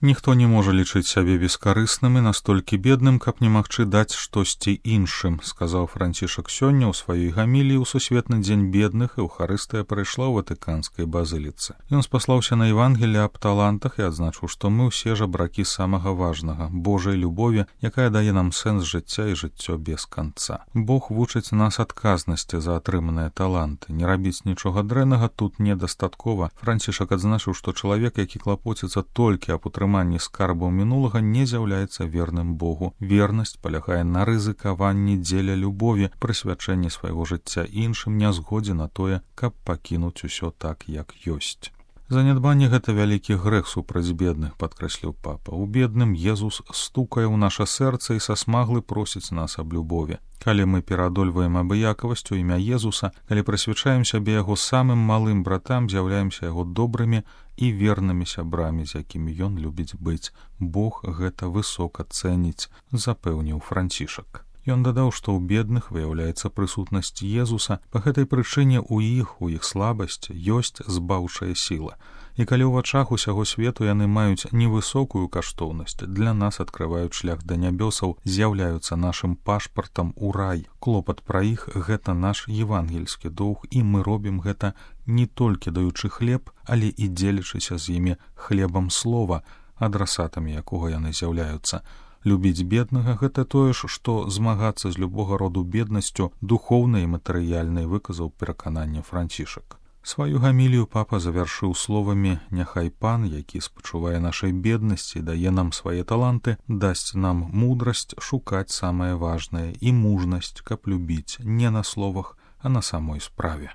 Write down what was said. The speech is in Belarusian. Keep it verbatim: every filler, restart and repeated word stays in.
Ніхто не можа лічыць сябе бескарысным і настолькі бедным, каб не магчы даць штосьці іншым, сказаў Францішак сёння ў сваёй гаміліі ў сусветны дзень бедных, і Эўхарыстыя прайшла ў Ватыканскай базыліцы. Ён спаслаўся на Евангелле аб талантах і адзначыў, што мы ўсе жабракі самага важнага, Божай любові, якая дае нам сэнс жыцця і жыццё без канца. Бог вучыць нас адказнасці за атрыманыя таланты. Не рабіць нічога дрэннага тут недастаткова. Францішак адзначыў, што чалавек, які клапоціцца толькі аб утрыманні скарбаў мінулага, не з'яўляецца верным Богу. Вернасць палягае на рызыкаванні дзеля любові, прысвячэнні свайго жыцця іншым, не згодзе на тое, каб пакінуць усё так, як ёсць. Занядбанне — гэта вялікі грэх супраць бедных, падкрэсліў папа. У бедным Езус стукае ў наша сэрца і са смаглы просіць нас аб любові. Калі мы пераадольваем абыякавасць у імя Езуса, калі прысвячаем сябе яго самым малым братам, з'яўляемся яго добрымі і вернымі сябрамі, з якімі ён любіць быць. Бог гэта высока цэніць, запэўніў Францішак. Ён дадаў, што ў бедных выяўляецца прысутнасць Езуса, па гэтай прычыне ў іх, у іх слабасці ёсць збаўчая сіла. І калі ў вачах усяго свету яны маюць невысокую каштоўнасць, для нас адкрываюць шлях да нябёсаў, з'яўляюцца нашым пашпартам у рай. Клопат пра іх — гэта наш евангельскі доўг, і мы робім гэта не толькі даючы хлеб, але і дзелячыся з імі хлебам слова, адрасатамі якога яны з'яўляюцца. Любіць беднага — гэта тое ж, што змагацца з любога роду беднасцю, духоўнай і матэрыяльнай, выказаў перакананне Францішак. Сваю гамілію папа завяршыў словамі: «Няхай Пан, які спачувае нашай беднасці, дае нам свае таланты, дасць нам мудрасць шукаць самае важнае і мужнасць, каб любіць не на словах, а на самой справе».